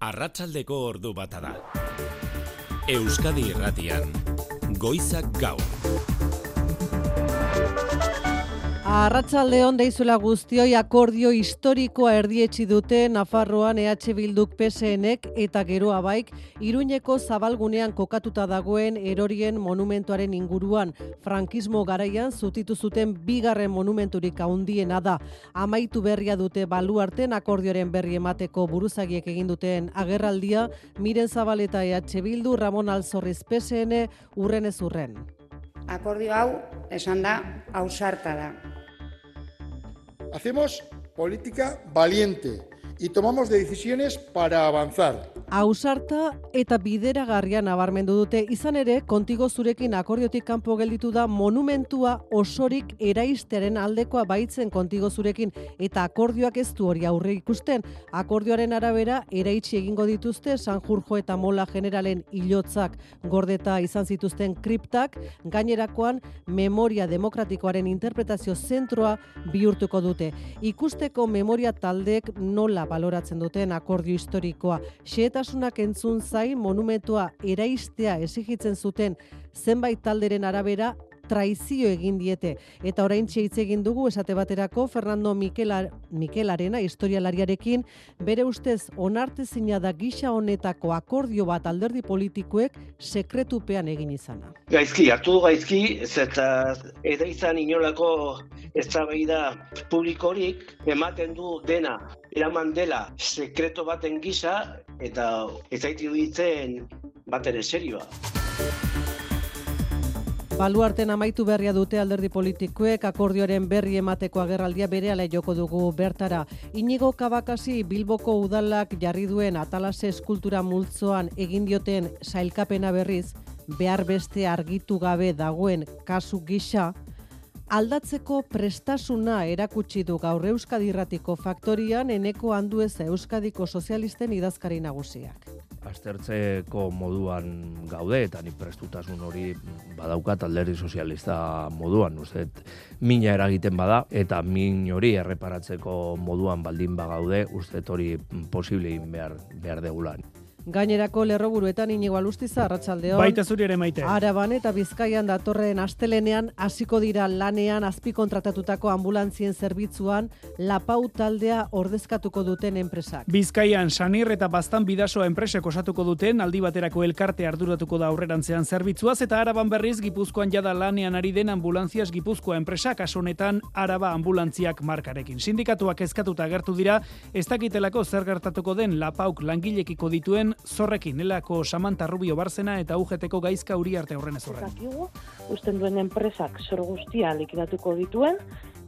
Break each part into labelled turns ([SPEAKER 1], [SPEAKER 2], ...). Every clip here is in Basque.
[SPEAKER 1] Arratsaldeko ordu bata da. Euskadi Irratian, Goizak Gaur.
[SPEAKER 2] Arratsaldeon deizula guztioi, akordio historikoa erdietsi dute Nafarroan EH Bilduk PSNek eta Geroa Baik Iruñeko zabalgunean kokatuta dagoen erorien monumentuaren inguruan. Frankismo garaian zutitu zuten bigarren monumenturik handiena da. Amaitu berria dute baluarten akordioaren berri emateko buruzagiek egin duten agerraldia. Miren Zabaleta EH Bildu, Ramon Alzorriz PSN, urren ez urren.
[SPEAKER 3] Akordio hau, esan da, ausarta da.
[SPEAKER 4] Hacemos política valiente y tomamos decisiones para avanzar.
[SPEAKER 2] Ausarta eta bideragarria nabarmendu dute, izan ere, kontigo zurekin akordiotik kanpo gelditu da monumentua osorik eraistearen aldekoa baitzen kontigo zurekin, eta akordioak ez du hori aurre ikusten. Akordioaren arabera, eraitsi egingo dituzte Sanjurjo eta Mola generalen hilotzak gordeta izan zituzten kriptak, gainerakoan memoria demokratikoaren interpretazio zentroa bihurtuko dute. Ikusteko memoria taldeek nola baloratzen duten akordio historikoa. Xehetasunak entzun zain monumentua eraistea exigitzen zuten zenbait talderen arabera traizio egin diete. Eta oraintxe hitz egin dugu esate baterako Fernando Mikelarena historialariarekin, bere ustez onartezina da gisa honetako akordio bat alderdi politikoek sekretupean egin izana.
[SPEAKER 5] Gaizki, hartu du gaizki, eta izan inolako eztabaida publikorik ematen du dena, eraman dela sekreto baten gisa, eta ez zait iruditzen batere serioa.
[SPEAKER 2] Baluarten amaitu berria dute alderdi politikoek akordioaren berri emateko agerraldia berehala joko dugu bertara. Inigo Kabakasi Bilboko udalak jarri duen Atalase eskultura multzoan egin dioten sailkapena berriz, behar beste argitu gabe dagoen kasu gisa, aldatzeko prestasuna erakutsi du gaur Euskadi Irratiko faktorian Eneko Andueza Euskadiko sozialisten idazkari nagusiak.
[SPEAKER 6] Aztertzeko moduan gaude, eta nik prestutasun hori badaukat alderdi sozialista moduan, uste, mina eragiten bada, eta min hori erreparatzeko moduan baldin bagaude, uste hori posible egin behar degulan.
[SPEAKER 2] Gainerako lerroburuetan Inigo Alustiza, arratsaldeon.
[SPEAKER 7] Baita zuri ere Maite.
[SPEAKER 2] Araban eta Bizkaian datorren astelenean hasiko dira lanean azpikontratatutako anbulantzien zerbitzuan Lapau taldea ordezkatuko duten enpresak.
[SPEAKER 7] Bizkaian Sanir eta Baztan Bidasoa enpresek osatuko duten aldi baterako elkarte arduratuko da aurrerantzean zerbitzuaz, eta Araban berriz Gipuzkoan jada lanean ari den Ambulantzias Gipuzkoa enpresak, kasu honetan Araba Ambulantziak markarekin. Sindikatuak kezkatuta agertu dira, ez dakitelako zer gertatuko den Lapauk langilekiko dituen zorrekin. Nelako Samantha Rubio Barzena eta UGTko Gaizka Uriarte horren ez horren.
[SPEAKER 8] Usten duen enpresak zor guztia likidatuko dituen,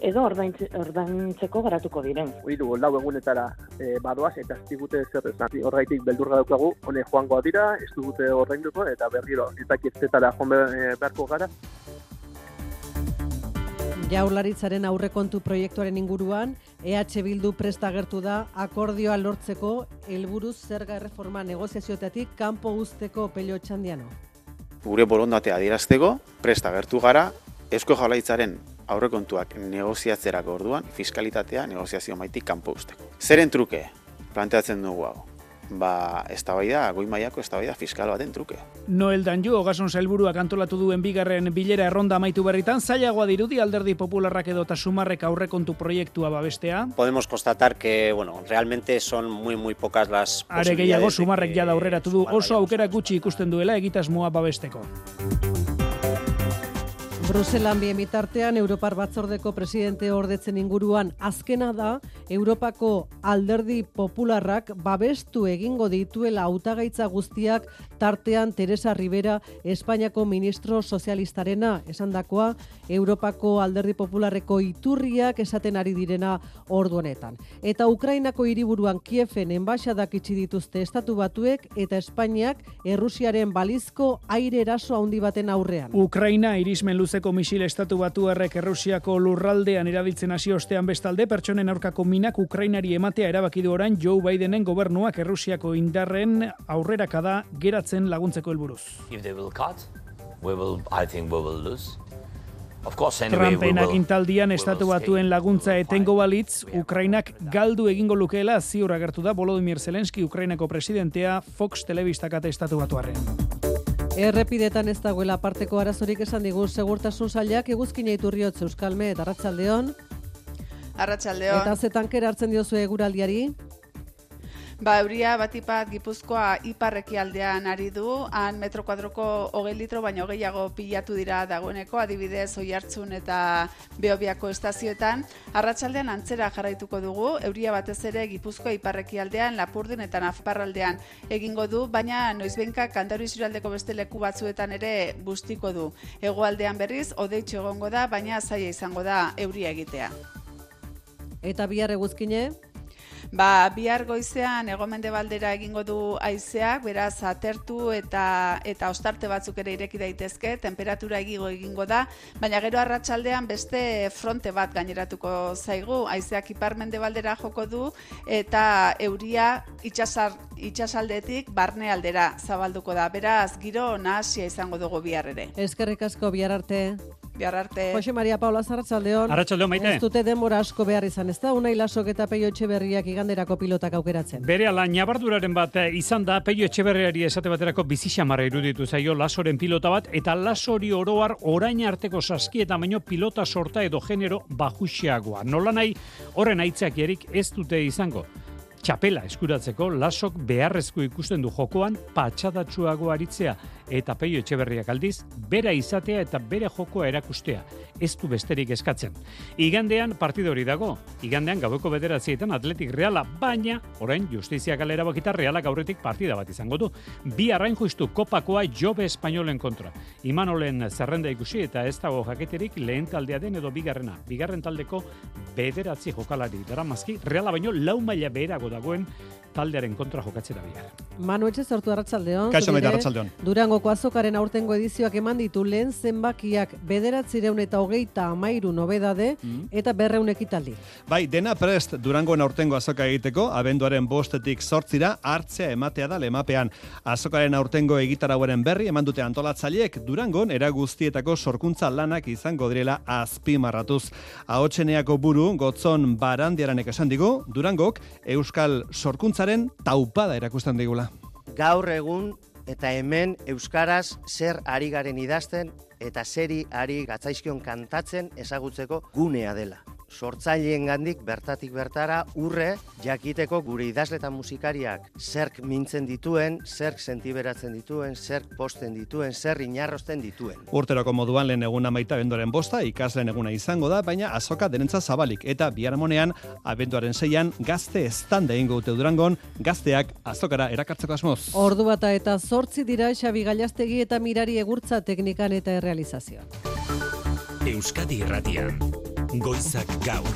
[SPEAKER 8] edo ordaintzeko garatuko diren.
[SPEAKER 9] Hiru lau egunetara badoaz eta ez digute zer esan. Horraitik beldurra daukagu, hone joangoa dira, ez dugute ordainduko eta berriro ez dakitzetara joan beharko gara.
[SPEAKER 2] Jaurlaritzaren aurrekontu proiektuaren inguruan, EH Bildu prest agertu da akordioa lortzeko helburuz zerga erreforma negoziazioetatik kanpo uzteko Pello Otxandiano.
[SPEAKER 10] Gure borondatea adierazteko prest agertu gara Eusko Jaurlaritzaren aurrekontuak negoziatzerako orduan fiskalitatea negoziazio maitik kanpo uzteko. Zeren truke planteatzen dugu hau? Eztabaida, goi mailako eztabaida fiskal baten truke.
[SPEAKER 7] Noel Danju, Ogasun sailburuak antolatu duen bigarren bilera erronda amaitu berritan, zailagoa dirudi alderdi popularrak edota Sumarrek aurrekontu proiektua babestea.
[SPEAKER 11] Podemos constatar que, realmente son muy pocas las posibilidades.
[SPEAKER 7] Are gehiago, Sumarrek jada aurreratu du oso aukera gutxi ikusten duela egitasmoa babesteko.
[SPEAKER 2] Bruselan bien bitartean, Europar Batzordeko presidente ordetzen inguruan azkena da, Europako alderdi popularrak babestu egingo dituela hautagaitza guztiak, tartean Teresa Rivera, Espainiako ministro sozialistarena, esandakoa, Europako alderdi popularreko iturriak esaten ari direna ordu honetan. Eta Ukrainako hiriburuan Kieven enbaixadak itxi dituzte Estatu Batuek eta Espainiak Errusiaren balizko aire eraso handi baten aurrean.
[SPEAKER 7] Ukraina irismen luzeko misil Estatu Batuarrek Errusiako lurraldean erabiltzen hasi ostean bestalde, pertsonen aurkako minak Ukrainari ematea erabaki du orain Joe Bidenen gobernuak Errusiako indarren aurrerakada geratzen laguntzeko helburuz.
[SPEAKER 12] If they will cut, I think we will lose.
[SPEAKER 7] Trumpen agintaldian estatu batuen laguntza etengo balitz, Ukrainak galdu egingo lukeela ziur agertu da Volodymyr Zelensky Ukrainako presidentea Fox telebistakate estatu batuarren.
[SPEAKER 2] Errepidetan ez dagoela aparteko arazorik esan digu segurtasun sailak eguzkina iturriotz Euskalme eta Arratsaldeon.
[SPEAKER 12] Arratsaldeon.
[SPEAKER 2] Eta ze tankera hartzen diozu eguraldiari?
[SPEAKER 12] Euria batipat Gipuzkoa ipar-ekialdean ari du, han metro kuadroko 20 litro baino gehiago pilatu dira dagoeneko, adibidez Oiartzun eta Beobiako estazioetan. Arratsaldean antzera jarraituko dugu, euria batez ere Gipuzkoa ipar-ekialdean, Lapurdin eta Nafarraldean egingo du, baina noizbehinka Kantauri isurialdeko beste leku batzuetan ere bustiko du. Hegoaldean berriz, hodeitsu egongo da, baina zaila izango da euria egitea.
[SPEAKER 2] Eta bihar eguzkine?
[SPEAKER 12] Bihar goizean hego-mendebaldera egingo du haizeak, beraz atertu eta ostarte batzuk ere ireki daitezke, temperatura egingo da, baina gero arratsaldean beste fronte bat gaineratuko zaigu, haizeak ipar-mendebaldera joko du eta euria itsasaldetik barnealdera zabalduko da, beraz giro nahasia izango dugu bihar ere.
[SPEAKER 2] Eskerrik asko, bihar arte.
[SPEAKER 12] Bihar arte.
[SPEAKER 2] Jose Maria Paula, Arratsaldeon.
[SPEAKER 7] Arratsaldeon, Maite.
[SPEAKER 2] Ez dute denbora asko behar izan, ez da? Unai Lasok eta Peio Etxeberriak iganderako pilotak aukeratzen.
[SPEAKER 13] Berehala nabarduraren bat izan da Peio Etxeberriari esate baterako bizixamarra iruditu zaio Lasoren pilota bat, eta Lasori oroar orain arteko saskietan baino pilota sorta edo genero bajuxeagoa. Nolanahi horren aitzakiarik ez dute izango. Txapela eskuratzeko Lasok beharrezko ikusten du jokoan patxadatsuago aritzea, eta Peio Etxeberriak aldiz bera izatea eta bere jokoa erakustea. Ez du besterik eskatzen. Igandean partida hori dago. Igandean gaueko 9:00 Atletik Reala, baina orain Justizia galera bakita Realak aurretik partida bat izango du. Bi arrain justu kopakoa Jobe Espainolen kontra. Imanolen zerrenda ikusi eta ez dago jaketerik lehen taldea den edo bigarrena. Bigarren taldeko 9 jokalari daramazki Reala baino 4 maila beherago dagoen taldearen kontra jokatzera bihar.
[SPEAKER 2] Manu Etxe sortu Arratsaldeon.
[SPEAKER 14] Kaixo Maite, Arratsaldeon.
[SPEAKER 2] Durangoko azokaren aurtengo edizioak eman ditu lehen zenbakiak 923 nobedade eta 200 ekitaldi.
[SPEAKER 14] Bai, dena prest Durangoen aurtengo azoka egiteko, abenduaren 5-tik 8 hartzea ematea da lemapean. Azokaren aurtengo egitarauaren berri eman dute antolatzaileek Durangon era guztietako sorkuntza lanak izango direla azpimarratuz. Ahotseneako buru Gotzon Barandiaranek esan digu, Durangok euskal sorkuntzaren taupada erakusten digula.
[SPEAKER 15] Gaur egun eta hemen euskaraz zer ari garen idazten eta zeri ari gatzaizkion kantatzen ezagutzeko gunea dela. Sortzaileengandik bertatik bertara urre jakiteko gure idazle eta musikariak zerk mintzen dituen, zerk sentiberatzen dituen, zerk posten dituen, zer inarrosten dituen.
[SPEAKER 14] Urteroko moduan lehen eguna Maite abenduaren 5 ikasleen eguna izango da, baina azoka denentza zabalik eta biharamonean abenduaren 6 gazte estanda egingo dute Durangon, gazteak azokara erakartzeko asmoz.
[SPEAKER 2] Ordu bata eta 8 dira Xabi Gallastegi eta Mirari Egurtza teknikan eta errealizazioan.
[SPEAKER 1] Euskadi Irratian. Goizak gaur.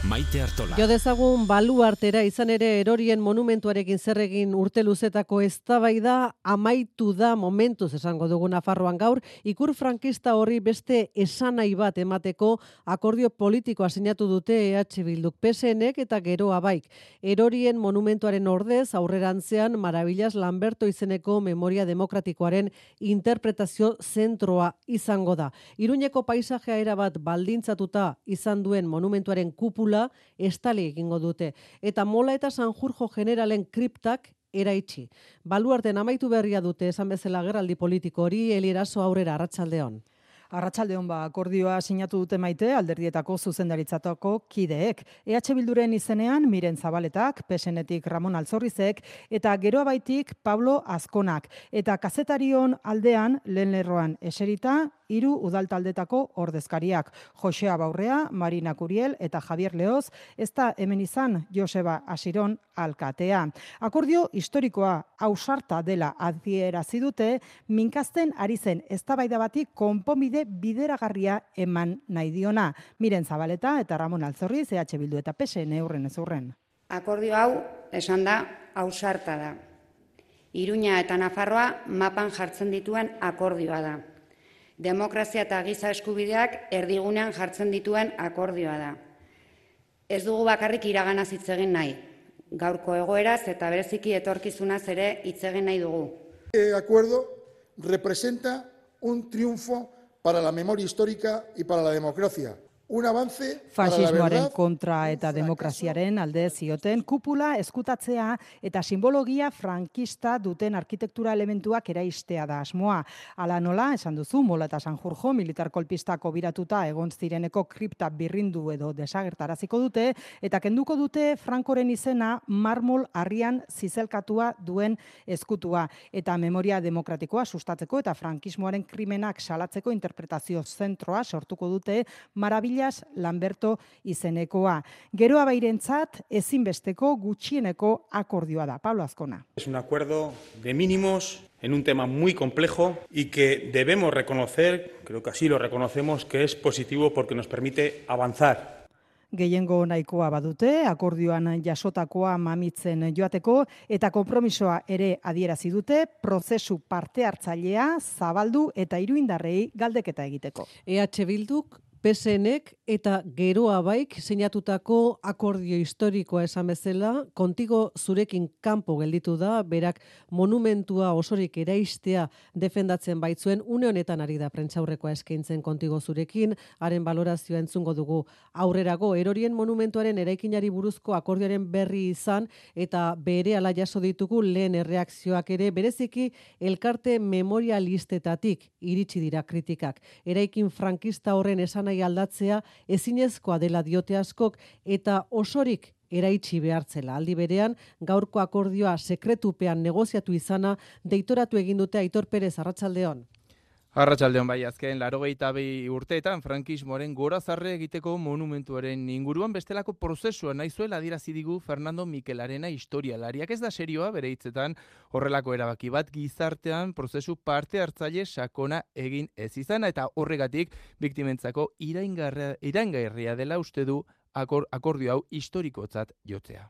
[SPEAKER 1] Maite Artola.
[SPEAKER 2] Jo dezagun baluartera izan ere erorien monumentuarekin zer egin urte luzetako eztabaida amaitu da momentuz esango dugu Nafarroan gaur. Ikur frankista horri beste esanai bat emateko akordio politikoa sinatu dute EH Bilduk, PSNek eta Geroa Baik. Erorien monumentuaren ordez aurrerantzean Maravillas Lamberto izeneko memoria demokratikoaren interpretazio zentroa izango da. Iruñeko paisajea erabat baldintzatuta izan duen monumentuaren kupula estali egingo dute. Eta Mola eta Sanjurjo generalen kriptak eraitsi. Baluarten amaitu berria dute esan bezala geraldi politiko hori. Elieraso Aurrera, Arratsaldeon.
[SPEAKER 16] Arratsaldeon akordioa sinatu dute Maite alderdietako zuzendaritzatako kideek. EH Bilduren izenean Miren Zabaletak, PSNetik Ramon Altzorrizek eta Geroa Baitik Pablo Azkonak. Eta kazetarion aldean lehen lerroan eserita 3 udaltaldetako ordezkariak. Josea Baurrea, Marina Curiel eta Javier Leoz, ez da hemen izan Joseba Asiron alkatea. Akordio historikoa ausarta dela adierazi dute, minkasten ari zen eztabaida bati konponbide bideragarria eman nahi diona. Miren Zabaleta eta Ramon Altzorriz, EH Bildu eta PSN urren ez urren.
[SPEAKER 3] Akordio hau, esan da, ausarta da. Iruña eta Nafarroa mapan jartzen dituen akordioa da. Demokrazia eta giza eskubideak erdigunean jartzen dituen akordioa da. Ez dugu bakarrik iraganaz hitz egin nahi. Gaurko egoeraz eta bereziki etorkizunaz ere hitz egin nahi dugu.
[SPEAKER 4] El acuerdo representa un triunfo para la memoria histórica y para la democracia. Un avance para la
[SPEAKER 16] Fasismoaren
[SPEAKER 4] verdad.
[SPEAKER 16] kontra eta demokraziaren alde zioten kupula eskutatzea eta simbologia frankista duten arkitektura elementuak eraistea da asmoa. Hala nola, esan duzu, Mola eta Sanjurjo militar kolpistako biratuta egon zireneko kripta birrindu edo desagertaraziko dute eta kenduko dute Frankoren izena marmol harrian zizelkatua duen eskutua eta memoria demokratikoa sustatzeko eta frankismoaren krimenak salatzeko interpretazio zentroa sortuko dute Maravillas Lamberto izenekoa. Geroa bairentzat ezinbesteko gutxieneko akordioa da. Pablo Azkona.
[SPEAKER 17] Es un acuerdo de mínimos en un tema muy complejo y que debemos reconocer, creo que así lo reconocemos, que es positivo porque nos permite avanzar.
[SPEAKER 16] Gehiengo nahikoa badute, akordioan jasotakoa mamitzen joateko eta konpromisoa ere adierazi dute, prozesu parte hartzailea zabaldu eta iruindarrei galdeketa egiteko.
[SPEAKER 2] EH Bilduk PSNek eta Geroa Baik sinatutako akordio historikoa esan bezala, kontigo zurekin kanpo gelditu da, berak monumentua osorik eraistea defendatzen baitzuen, une honetan ari da prentsaurrekoa eskaintzen kontigo zurekin, haren balorazioa entzungo dugu aurrerago, erorien monumentuaren eraikinari buruzko akordioaren berri izan, eta berehala jaso ditugu lehen erreakzioak ere, bereziki elkarte memorialistetatik iritsi dira kritikak. Eraikin frankista horren esanai aldatzea ezinezkoa dela diote askok eta osorik eraitsi behartzela. Aldi berean, gaurko akordioa sekretupean negoziatu izana deitoratu egin dute Aitor Perez, arratsaldeon.
[SPEAKER 18] Arratsaldeon bai, azken 82 urteetan frankismoaren gorazarre egiteko monumentuaren inguruan bestelako prozesua nahi zuela adierazi digu Fernando Mikelarena historialariak. Ez da serioa bere hitzetan horrelako erabaki bat gizartean prozesu parte hartzaile sakona egin ez izana eta horregatik biktimentzako iraingarria dela uste du akordio hau historikotzat jotzea.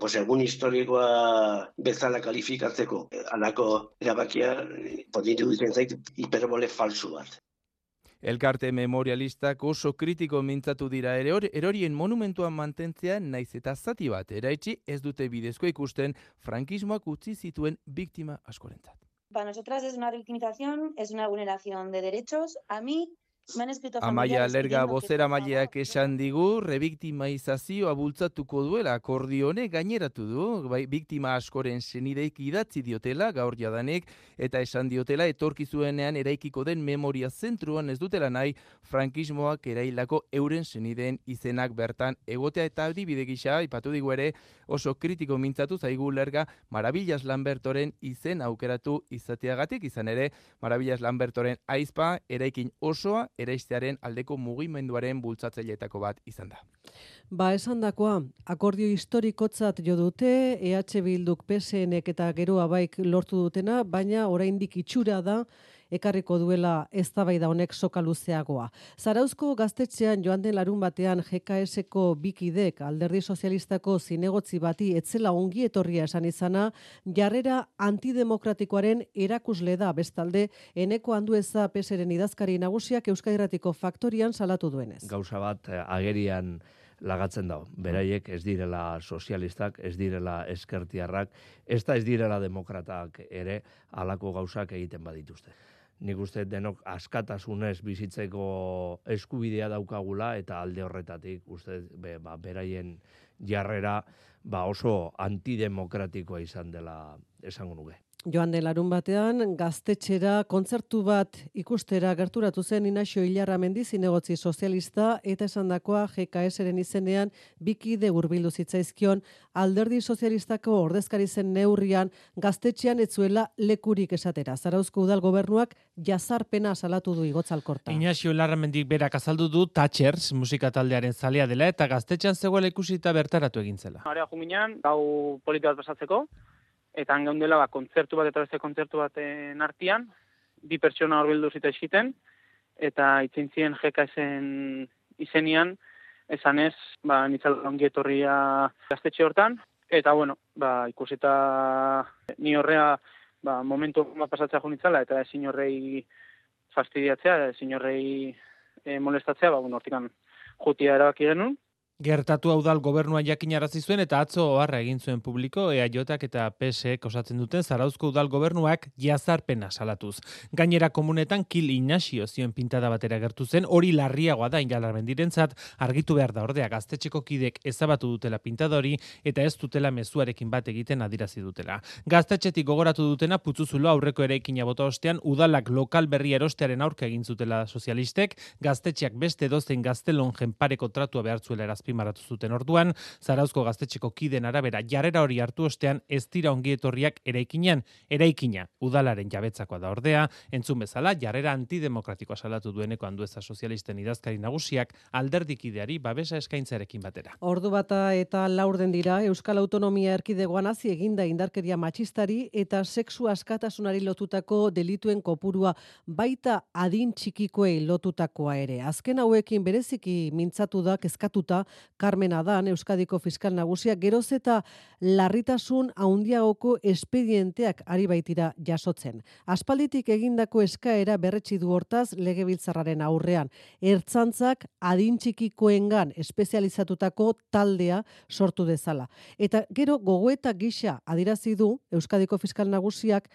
[SPEAKER 5] Pues egun historikoa bezala kalifikatzeko halako erabakia iruditzen zait hiperbole falsu bat.
[SPEAKER 18] Elkarte memorialistak oso kritiko mintzatu dira erorien monumentuan mantentzea naiz eta zati bat eraitsi ez dute bidezko ikusten frankismoak utzi zituen biktima askorentzat.
[SPEAKER 19] Para nosotras es una revictimización, es una vulneración de derechos. A mí
[SPEAKER 18] Amaia Lerga bozeramaileak esan digu, rebiktimizazioa bultzatuko duela akordio honek gaineratu du, biktima askoren senideik idatzi diotela gaur jadanik, eta esan diotela etorkizuenean eraikiko den memoria zentruan ez dutela nahi frankismoak erailako euren senideen izenak bertan egotea eta adibide gisa aipatu digu ere oso kritiko mintzatu zaigu Lerga Maravillas Lambertoren izen aukeratu izateagatik, izan ere Maravillas Lambertoren aizpa eraikin osoa eraistearen aldeko mugimenduaren bultzatzaileetako bat izan da.
[SPEAKER 2] Ba, esandakoa, akordio historikotzat jo dute, EH Bilduk PSNek eta Geroa Baik lortu dutena, baina oraindik itxura da ekarriko duela eztabaida honek soka luzeagoa. Zarauzko gaztetxean joan den larun batean GKS-ko bikidek alderdi sozialistako zinegotzi bati etzela ongi etorria esan izana, jarrera antidemokratikoaren erakusle da bestalde Eneko Andueza PSren idazkari nagusiak Euskadi Irratiko Faktorian salatu duenez.
[SPEAKER 6] Gauza bat agerian lagatzen dago. Beraiek ez direla sozialistak, ez direla ezkertiarrak, ez direla demokratak ere halako gauzak egiten badituzte. Nik uste denok askatasunez bizitzeko eskubidea daukagula eta alde horretatik uste beraien jarrera oso antidemokratikoa izan dela esango nuke.
[SPEAKER 2] Joan den larun batean, gaztetxera kontzertu bat ikustera gerturatu zen Inaxio Ilarramendi zinegotzi sozialista eta esandakoa GKS-ren izenean bikide hurbildu zitzaizkion alderdi sozialistako ordezkari zen neurrian gaztetxean etzuela lekurik esatera. Zarauzko udal gobernuak jazarpena salatu du Igotzalkorta.
[SPEAKER 20] Inaxio Ilarramendik berak azaldu du Thatchers musika taldearen zalea dela eta gaztetxean zegoela ikusita bertaratu egin zela.
[SPEAKER 9] Area juminean, gau politi bat pasatzeko, eta hangeundela kontzertu bat eta beste kontzertu baten artean, bi pertsona horbildu zitzaizkiten, eta itzintzien GKS-en izenian, esanez, nitzala ongi etorria gaztetxe hortan, eta ikusita ni horrea momentu pasatzea junitzala, eta ezin horrei fastidiatzea, ezin horrei molestatzea, hortikan jutia erabaki genuen.
[SPEAKER 20] Gertatu udal gobernua jakinarazi zuen eta atzo oharra egin zuen publiko EAJak eta PSek osatzen duten Zarauzko udal gobernuak jazarpena salatuz. Gainera komunetan Kil Ignacio zioen pintada batera gertu zen, hori larriagoa da Ingalarmendirentzat, argitu behar da ordea gaztetxeko kidek ezabatu dutela pintada hori eta ez dutela mezuarekin bat egiten adirazi dutela. Gaztetxetik gogoratu dutena Putzuzulo aurreko eraikina bota ostean udalak lokal berri erostearen aurka egin zutela sozialistek, gaztetxeak beste edozein gaztelonjen pareko tratua behartzuela erazpimarratu zuten orduan, Zarauzko gaztetxeko kiden arabera jarrera hori hartu ostean ez dira ongietorriak eraikina udalaren jabetzakoa da ordea, entzun bezala jarrera antidemokratikoa salatu dueneko Andueza sozialisten idazkari nagusiak alderdikideari babesa eskaintzarekin batera.
[SPEAKER 2] Ordu bata eta laurden dira Euskal Autonomia Erkidegoan hasi eginda indarkeria matxistari eta sexu askatasunari lotutako delituen kopurua baita adin txikikoei lotutakoa ere. Azken hauekin bereziki mintzatu da kezkatuta Carmen Adan Euskadiko fiskal nagusia geroz eta larritasun handiagoko espedienteak ari baitira jasotzen. Aspalditik egindako eskaera berretsi du hortaz Legebiltzarraren aurrean. Ertzaintzak adin txikikoengan espezializatutako taldea sortu dezala. Eta gero gogoeta gisa adirazi du Euskadiko fiskal nagusiak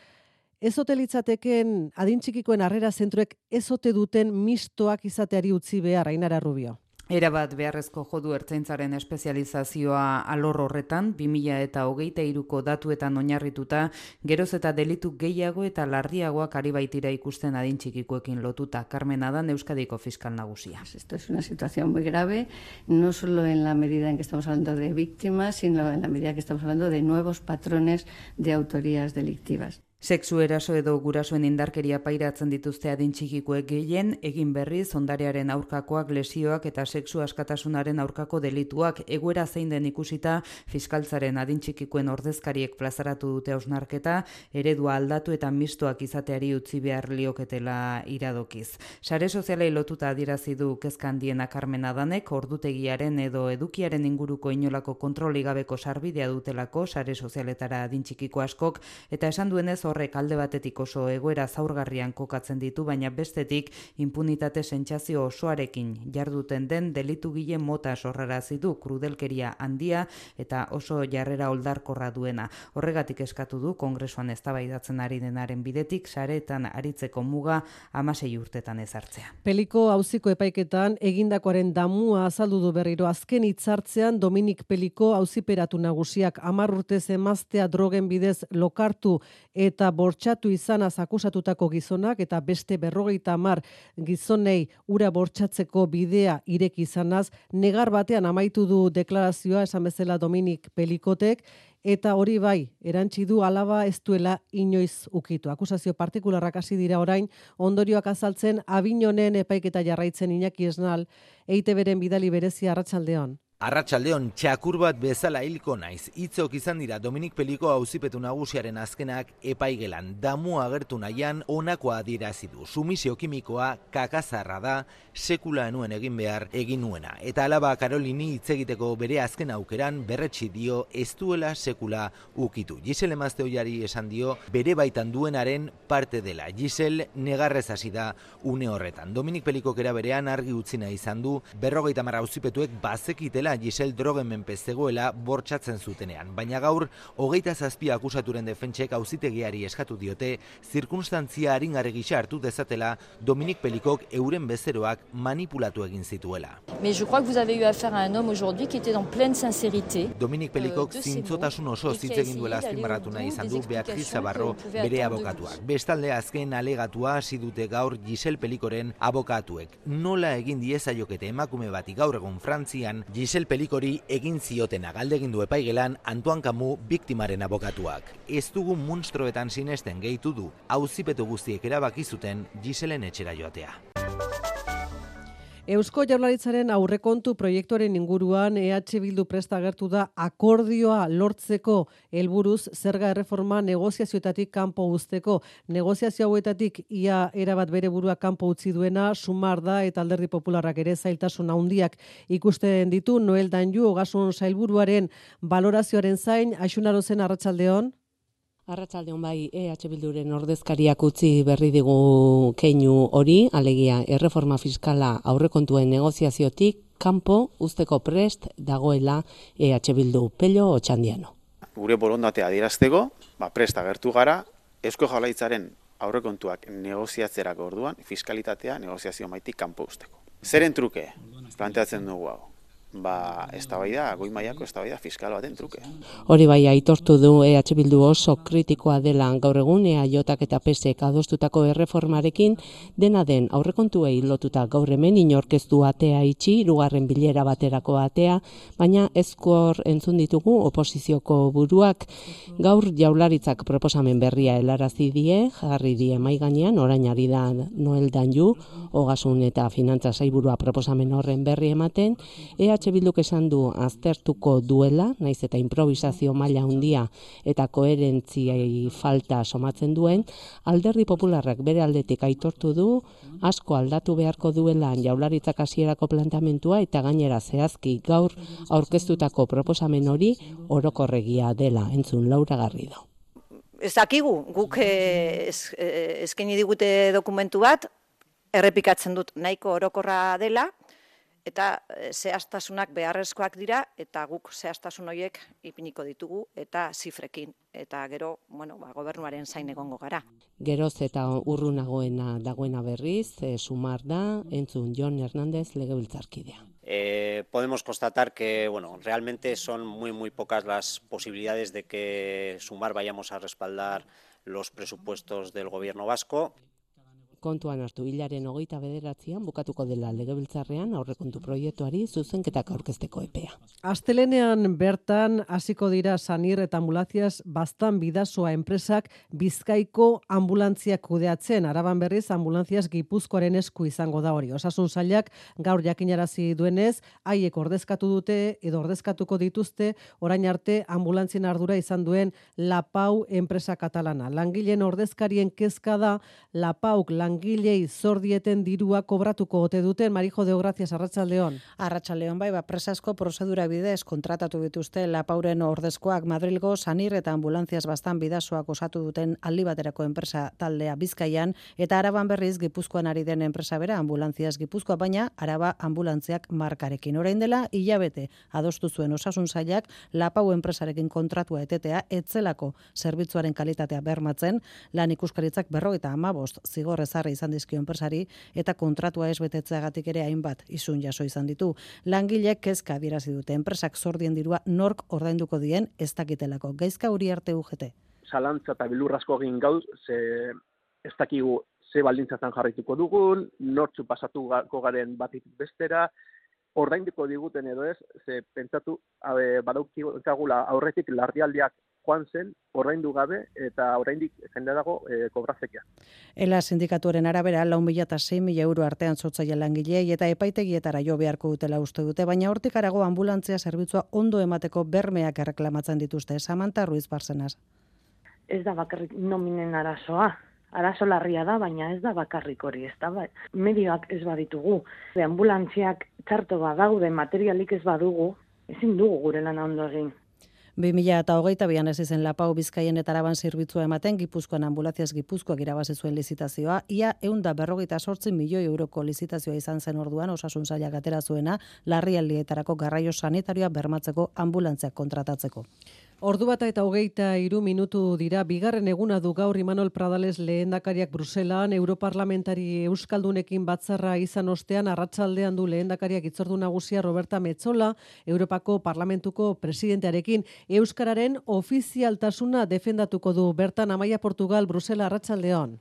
[SPEAKER 2] ez ote litzateken adin txikikoen harrera zentroek ez ote duten mistoak izateari utzi behar, Ainara Rubio.
[SPEAKER 21] Erabat beharrezko jodu ertzaintzaren espezializazioa alor horretan, 2023ko datuetan oinarrituta, geroz eta delitu gehiago eta larriagoak ari baitira ikusten adin txikikoekin lotuta. Carmen Adan, Euskadiko fiskal nagusia.
[SPEAKER 22] Esto es una situación muy grave, no solo en la medida en que estamos hablando de víctimas, sino en la medida que estamos hablando de nuevos patrones de autorías delictivas.
[SPEAKER 21] Sexu eraso edo gurasoen indarkeria pairatzen dituzte adin txikikoek gehien, egin berriz ondarearen aurkakoak, lesioak eta sexu askatasunaren aurkako delituak, egoera zein den ikusita fiskaltzaren adin txikikoen ordezkariek plazaratu dute hausnarketa, eredua aldatu eta mistoak izateari utzi behar lioketela iradokiz. Sare sozialei lotuta adierazi du kezka handiena Carmen Adanek, ordutegiaren edo edukiaren inguruko inolako kontroli gabeko sarbidea dutelako sare sozialetara adin txikiko askok, eta esan duenez horrek alde batetik oso egoera zaurgarrian kokatzen ditu, baina bestetik impunitate sentsazio osoarekin jarduten den delitugile mota sorrarazi du, krudelkeria handia eta oso jarrera oldarkorra duena. Horregatik eskatu du Kongresuan eztabaidatzen ari denaren bidetik sareetan aritzeko muga 16 urtetan ezartzea.
[SPEAKER 2] Peliko auziko epaiketan egindakoaren damua azaldu du berriro azken hitzartzean Dominik Peliko auziperatu nagusiak 10 urtez emaztea drogen bidez lokartu eta bortxatu izanaz akusatutako gizonak eta beste 50 gizonei ura bortxatzeko bidea ireki izanaz, negar batean amaitu du deklarazioa esan bezala Dominik Pelikotek, eta hori bai, erantzi du alaba ez duela inoiz ukitu. Akusazio partikularrak hasi dira orain, ondorioak azaltzen Abinonen epaiketa jarraitzen Iñaki Esnal, EITBren bidali berezia arratsaldeon.
[SPEAKER 23] Arratsaldeon txakur bat bezala hilko naiz. Hitzok izan dira Dominik Peliko auzipetu nagusiaren azkenak epaigelan. Damua agertu nahian honakoa adierazi du. Sumisio kimikoa kakazarra da, sekula enuen egin behar egin nuena. Eta alaba Karolini hitz egiteko bere azken aukeran berretsi dio ez duela sekula ukitu. Gisel emazte oiari esan dio bere baitan duenaren parte dela. Gisel negarrez hasi da une horretan. Dominik Pelikok era berean argi utzi nahi izan du 50 auzipetuek bazekitela Gisel drogen menpe zegoela bortxatzen zutenean, baina gaur 27 akusaturen defentsek auzitegiari eskatu diote zirkunstantzia aringarri gisa hartu dezatela Dominik Pelikok euren bezeroak manipulatu egin zituela.
[SPEAKER 24] Mais je crois que vous avez eu affaire à un homme aujourd'hui qui était en pleine sincérité.
[SPEAKER 23] Dominik Pelikok zintzotasun oso hitz egin duela azpimarratu nahi izan du Beatriz Zabarro bere abokatuak. Bestalde azken alegatua hasi dute gaur Gisel Pelikoren abokatuek. Nola egin diezaiokete emakume bati gaur egun Frantzian Gisel Pelikori egin ziotena galdegin du epaigelan Antoine Camus biktimaren abokatuak. Ez dugu munstroetan sinesten gehitu du, auzipetu guztiek erabaki zuten Giselen etxera joatea.
[SPEAKER 2] Eusko Jaurlaritzaren aurrekontu proiektuaren inguruan EH Bildu prest agertu da akordioa lortzeko helburuz zerga erreforma negoziazioetatik kanpo uzteko. Negoziazio hauetatik ia erabat bere burua kanpo utzi duena Sumar da eta Alderdi Popularrak ere zailtasun handiak ikusten ditu. Noel Danju Ogasun Sailburuaren balorazioaren zain, Aixunarozen arratsaldeon.
[SPEAKER 8] Arratsaldeon bai, EH Bilduren ordezkariak utzi berri digu keinu hori, alegia erreforma fiskala aurrekontuen negoziaziotik kanpo uzteko prest dagoela EH Bildu. Pello Otxandiano.
[SPEAKER 10] Gure borondatea adierazteko, prest agertu gara, Eusko Jaurlaritzaren aurrekontuak negoziatzerako orduan, fiskalitatea negoziazio maitik kanpo uzteko. Zeren truke planteatzen dugu hau? Eztabaida, goi mailako eztabaida fiskal baten truke.
[SPEAKER 8] Hori bai, aitortu du EH Bildu oso kritikoa dela gaur egun EAJak eta PSek adostutako erreformarekin, dena den aurrekontuei lotuta gaur hemen inorkeztu atea itxi, hirugarren bilera baterako atea, baina ezkor entzun ditugu oposizioko buruak gaur Jaurlaritzak proposamen berria helarazi die, jarri die mahai gainean, orain ari da Noel Danju, Ogasun eta Finantza Sailburua proposamen horren berri ematen, EH Bilduk esan du aztertuko duela, naiz eta improvisazio maila handia eta koherentziai falta somatzen duen, Alderdi Popularrak bere aldetik aitortu du, asko aldatu beharko duela Jaurlaritzak hasierako planteamendua eta gainera zehazki gaur aurkeztutako proposamen hori orokorregia dela, entzun Laura Garrido.
[SPEAKER 11] Ez dakigu, guk eskaini digute dokumentu bat, errepikatzen dut nahiko orokorra dela, eta zehaztasunak beharrezkoak dira, eta guk zehaztasun horiek ipiniko ditugu, eta zifrekin. Eta gero, gobernuaren zain egongo gara.
[SPEAKER 8] Geroz eta urrunagoena dagoena berriz, Sumar da, entzun Jon Hernández legebiltzarkidea.
[SPEAKER 12] Podemos constatar que realmente son muy pocas las posibilidades de que Sumar vayamos a respaldar los presupuestos del gobierno vasco.
[SPEAKER 8] Kontuan hartu, hilaren 29an bukatuko dela legebiltzarrean aurrekontu proiektuari zuzenketak aurkezteko epea.
[SPEAKER 2] Astelenean bertan hasiko dira Sanir eta Ambulancias Baztan Bidasoa enpresak Bizkaiko ambulantziak kudeatzen. Araban berriz Ambulancias Gipuzkoaren esku izango da hori. Osasun sailak gaur jakinarazi duenez, haiek ordezkatu dute edo ordezkatuko dituzte orain arte ambulantzien ardura izan duen Lapau enpresa katalana. Langileen ordezkarien kezka da Lapauk langilei zor dieten dirua kobratuko ote duten. Marijo de Gracias, arratsaldeon.
[SPEAKER 25] Arratsaldeon bai, presasko prozedura bidez kontratatu dituzte Lapauren ordezkoak Madrilgo Sanir eta Ambulancias Baztan Bidasoak osatu duten aldi baterako enpresa taldea Bizkaian, eta Araban berriz Gipuzkoan ari den enpresa bera Ambulancias Gipuzkoa, baina Araba Ambulantziak markarekin. Orain dela hilabete adostu zuen Osasun sailak Lapau enpresarekin kontratua etetea etzelako zerbitzuaren kalitatea bermatzen, lan ikuskaritzak 55 zigor ezarri izan dizkio enpresari eta kontratua ez betetzeagatik ere hainbat isun jaso izan ditu. Langileek kezka adierazi dute, enpresak zordien dirua nork ordainduko dien ez dakitelako. Gaizka Uriarte UGT.
[SPEAKER 26] Zalantza eta bilurrasko egin gauz, ez dakigu ze baldintzatan jarraituko dugun, nortzu pasatuko garen batetik bestera, ordainduko diguten edo ez, ze pentsatu badaukagula aurretik larrialdiak joan zen, ordaindu gabe, eta oraindik jende dago kobratzekia.
[SPEAKER 25] Ela sindikatuaren arabera, 4.000 eta 6.000 euro artean zotzaile langilei eta epaitegietara jo beharko dutela uste dute, baina hortik harago ambulantzia zerbitzua ondo emateko bermeak erreklamatzen dituzte. Samantha Ruiz Barzenaz.
[SPEAKER 27] Ez da bakarrik nominen arazoa. Arazo larria da, baina ez da bakarrik hori, ez da, medioak ez baditugu. Ambulantziak txarto badaude, materialik ez badugu, ezin dugu gure lana ondo egin.
[SPEAKER 25] 2022an ez izen Lapau Bizkaien eta Araban zerbitzua ematen, Gipuzkoan Ambulancias Gipuzkoak irabazi zuen lizitazioa, ia 158 milioi euroko lizitazioa izan zen orduan Osasun sailak atera zuena, larrialdietarako garraio sanitarioa bermatzeko ambulantziak kontratatzeko.
[SPEAKER 2] Ordu bata eta 23 minutu dira, bigarren eguna du gaur Imanol Pradales lehendakariak Bruselan, Europarlamentari Euskaldunekin batzarra izan ostean, arratsaldean du lehendakariak hitzordu nagusia Roberta Metsola, Europako Parlamentuko presidentearekin. Euskararen ofizialtasuna defendatuko du. Bertan Amaia Portugal, Brusela, arratsaldeon.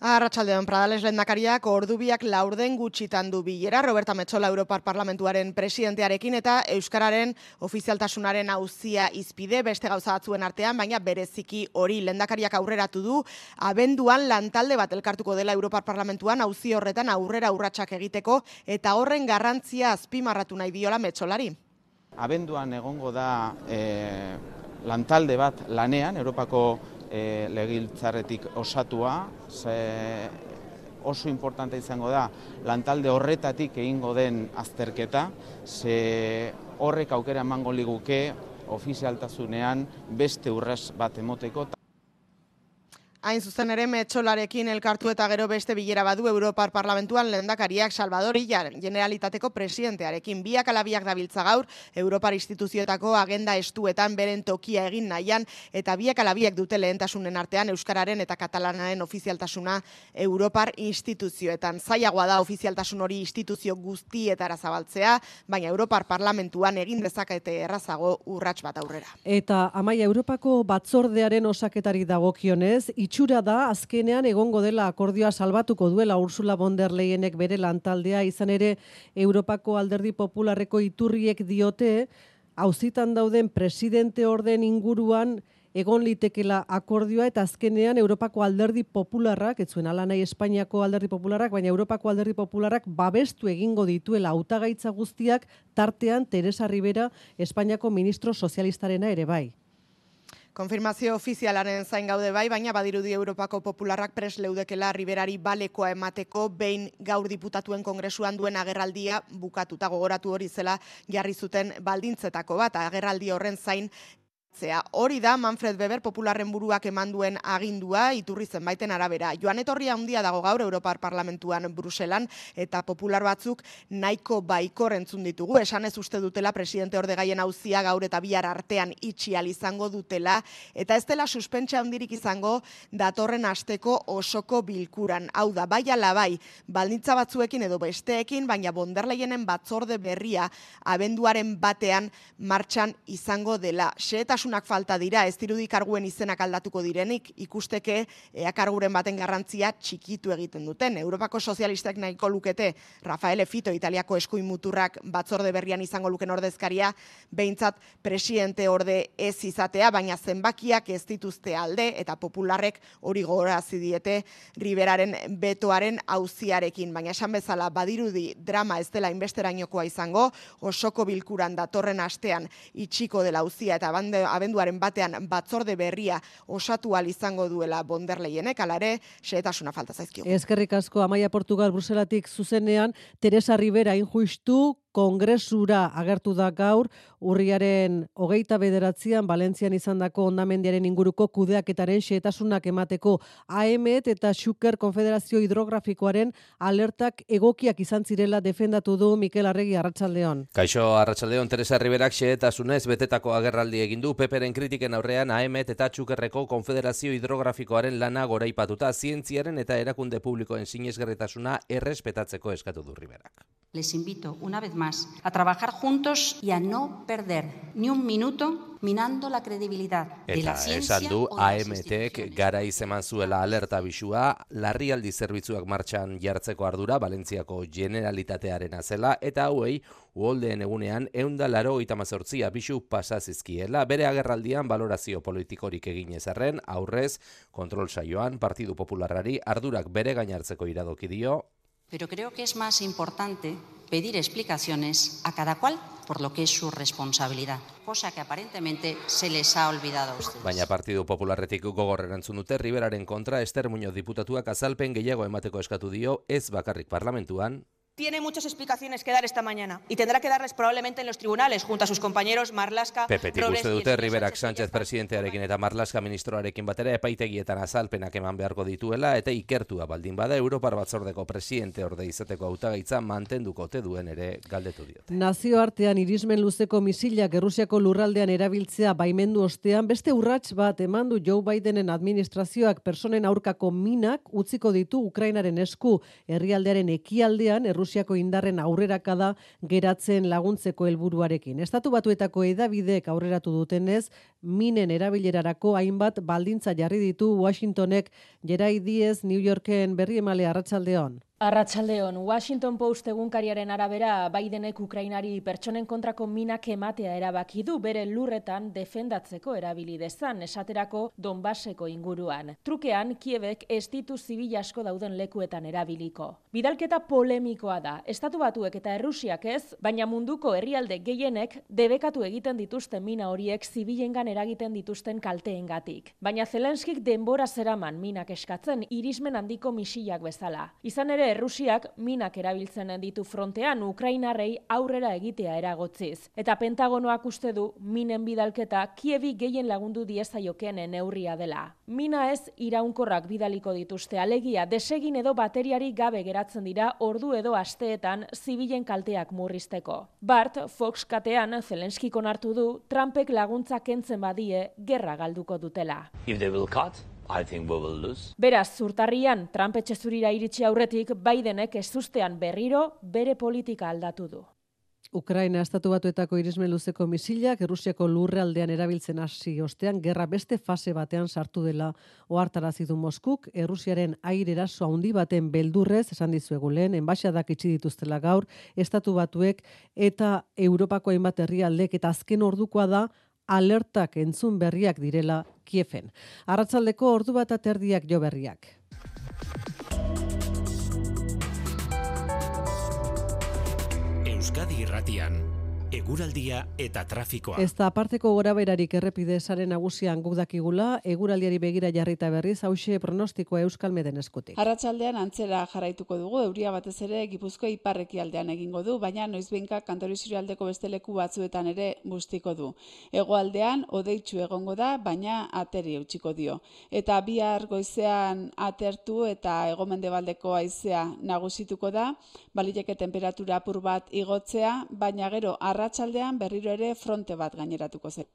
[SPEAKER 28] Arratsaldeon, Pradales lehendakariak ordubiak laurden gutxitan du bilera Roberta Metsola Europar Parlamentuaren presidentearekin eta euskararen ofizialtasunaren auzia izpide beste gauza batzuen artean, baina bereziki hori lehendakariak aurreratu du, abenduan lantalde bat elkartuko dela Europar Parlamentuan auzi horretan aurrera urratsak egiteko eta horren garrantzia azpimarratu nahi diola Metsolari.
[SPEAKER 29] Abenduan egongo da lantalde bat lanean, Europako legiltzarretik osatua, oso importante izango da lantalde horretatik egingo den azterketa, ze horrek aukera emango liguke ofizialtasunean beste urrats bat emoteko.
[SPEAKER 28] Hain zuzen ere Metxolarekin elkartu eta gero beste bilera badu Europar Parlamentuan lehendakariak Salvador Illa Generalitateko presidentearekin. Biak ala biak dabiltza gaur Europar instituzioetako agenda estuetan beren tokia egin nahian eta biak ala biak dute lehentasunen artean euskararen eta katalanaren ofizialtasuna Europar instituzioetan. Zailagoa da ofizialtasun hori instituzio guztietara zabaltzea, baina Europar Parlamentuan egin dezakete errazago urrats bat aurrera.
[SPEAKER 2] Eta Amaia, Europako batzordearen osaketari dagokionez, itxura da azkenean egongo dela akordioa salbatuko duela Ursula von der Leyenek bere lantaldea, izan ere Europako Alderdi Popularreko iturriek diote auzitan dauden presidente orden inguruan egon litekela akordioa eta azkenean Europako Alderdi Popularrak, ez zuen ala nahi Espainiako Alderdi Popularrak, baina Europako Alderdi Popularrak babestu egingo dituela hautagaitza guztiak, tartean Teresa Ribera, Espainiako ministro sozialistarena ere bai.
[SPEAKER 28] Konfirmazio ofizialaren zain gaude bai, baina badirudi Europako Popularrak pres leudekela Riberari balekoa emateko behin gaur diputatuen kongresuan duen agerraldia bukatuta, gogoratu hori zela jarri zuten baldintzetako bat, agerraldi horren zain hori da Manfred Weber Popularren buruak eman duen agindua iturri zenbaiten arabera. Joan etorria handia dago gaur Europar Parlamentuan Bruselan eta popular batzuk nahiko baikor entzun ditugu. Esan ez uste dutela presidente ordegaien auzia gaur eta bihar artean itxial izango dutela eta ez dela suspentsa handirik izango datorren asteko osoko bilkuran. Hau da, bai ala bai, baldintza batzuekin edo besteekin, baina von der Leyenen batzorde berria abenduaren batean martxan izango dela. Xehetasunak falta dira, ez dirudi karguen izenak aldatuko direnik, ikusteke karguren baten garrantzia txikitu egiten duten. Europako sozialistek nahiko lukete Rafaele Fito, Italiako eskuin muturrak batzorde berrian izango luken ordezkaria, behintzat presidente orde ez izatea, baina zenbakiak ez dituzte alde, eta popularrek hori gogorazi diete Riberaren betoaren auziarekin. Baina esan bezala badirudi drama ez dela inbesterainokoa izango, osoko bilkuran datorren astean itxiko dela auzia eta abenduaren batean batzorde berria osatu ahal izango duela von der Leyenek, hala ere xehetasuna falta zaizkio.
[SPEAKER 2] Eskerrik asko, Amaia, Portugal, Bruselatik zuzenean, Teresa Ribera injustu kongresura agertu da gaur, urriaren 29an Valentzian izandako hondamendiaren inguruko kudeaketaren xehetasunak emateko. AEMET eta Xuker Konfederazio Hidrografikoaren alertak egokiak izan zirela defendatu du Mikel Arregi. Arratsaldeon.
[SPEAKER 1] Kaixo, arratsaldeon. Teresa Riberak xehetasunez betetako agerraldi egin du. Peperen kritiken aurrean AEMET eta Xukerreko Konfederazio Hidrografikoaren lana goraipatuta zientziaren eta erakunde publikoen sinesgarritasuna errespetatzeko eskatu du Riberak.
[SPEAKER 3] Les invito una vez más a trabajar juntos y a no perder ni un minuto minando la credibilidad de la ciencia.
[SPEAKER 1] Eta esan du AEMETek garaiz eman zuela alerta bisua, larrialdi zerbitzuak martxan jartzeko ardura Valentziako Generalitatearena zela eta hauei uholdeen egunean 188 abisu pasa zizkiela. Bere agerraldian balorazio politikorik egin ezarren, aurrez kontrol saioan Partidu Popularrari ardurak bere gainartzeko iradoki dio.
[SPEAKER 3] Pero creo que es más importante pedir explicaciones a cada cual por lo que es su responsabilidad, cosa que aparentemente se les ha olvidado a ustedes.
[SPEAKER 1] Baina Partidu Popularretik gogor erantzun dute Riberaren kontra Ester Muñoz diputatuak azalpen gehiago emateko eskatu dio, ez bakarrik parlamentuan.
[SPEAKER 4] Tiene muchas explicaciones que dar esta mañana y tendrá que darles probablemente en los tribunales junto a sus compañeros Marlaska,
[SPEAKER 1] Pepetik uste dute Riberak Sánchez presidentearekin eta Marlaska ministroarekin batera epaitegietan azalpenak eman beharko dituela eta ikertua baldin bada Europar batzordeko presidente orde izateko hautagaitza mantenduko ote duen ere galdetu diote.
[SPEAKER 2] Nazioartean irismen luzeko misilak Errusiako lurraldean erabiltzea baimendu ostean beste urrats bat eman du Joe Bidenen administrazioak pertsonen aurkako minak utziko ditu Ukrainaren esku. Herrialdearen ekialdean Rusiako indarren aurrerakada geratzen laguntzeko helburuarekin. Estatu Batuetako hedabideek aurreratu dutenez, minen erabilerarako hainbat baldintza jarri ditu Washingtonek. Gerai Diez, New Yorken berri emale. Arratsaldeon.
[SPEAKER 24] Arratsaldeon, Washington Post egunkariaren arabera Bidenek Ukrainari pertsonen kontrako minak ematea erabaki du bere lurretan defendatzeko erabili dezan, esaterako Donbaseko inguruan. Trukean, Kievek ez ditu zibil asko dauden lekuetan erabiliko. Bidalketa polemikoa da, Estatu Batuek eta Errusiak ez, baina munduko herrialde gehienek debekatu egiten dituzten mina horiek zibilengan eragiten dituzten kalteengatik. Baina Zelenskik denbora zeraman minak eskatzen irismen handiko misilak bezala. Izan ere, Errusiak minak erabiltzen ditu frontean Ukrainarrei aurrera egitea eragotziz. Eta Pentagonoak uste du minen bidalketa Kievi gehien lagundu diezaiokeen neurria dela. Mina ez iraunkorrak bidaliko dituzte, alegia desegin edo bateriari gabe geratzen dira ordu edo asteetan zibilen kalteak murrizteko. Bart, Fox katean Zelenskik onartu du Trumpek laguntza kentzen badie gerra galduko dutela. Beraz, zurtarrian Trump etxezurira iritsi aurretik Bidenek ezustean berriro bere politika aldatu du.
[SPEAKER 2] Ukraina estatu batuetako irismen luzeko misilak Errusiako lurraldean erabiltzen hasi ostean gerra beste fase batean sartu dela ohartarazi du Moskuk. Errusiaren aire eraso handi baten beldurrez esan dizuegu lehen enbaxadak itxi dituztela gaur estatu batuek eta Europako hainbat herrialdek eta azken ordukoa da alertak entzun berriak direla Kieven. Arratsaldeko ordu bat aterdiak jo berriak.
[SPEAKER 5] Euskadi Irratian, eguraldia eta trafikoa.
[SPEAKER 2] Ez da aparteko goraberarik errepide sare nagusian guk dakigula, eguraldiari begira jarrita berriz, hauxe pronostikoa Euskalmeden eskutik.
[SPEAKER 7] Arratsaldean antzera jarraituko dugu, euria batez ere Gipuzkoa ipar-ekialdean egingo du, baina noizbehinka Kantauri Isurialdeko beste leku batzuetan ere bustiko du. Hegoaldean hodeitsu egongo da, baina ateri eutsiko dio. Eta bihar goizean atertu eta hego-mendebaldeko haizea nagusituko da, baliteke temperatura apur bat igotzea, baina gero arratsaldean berriro ere fronte bat gaineratuko zen.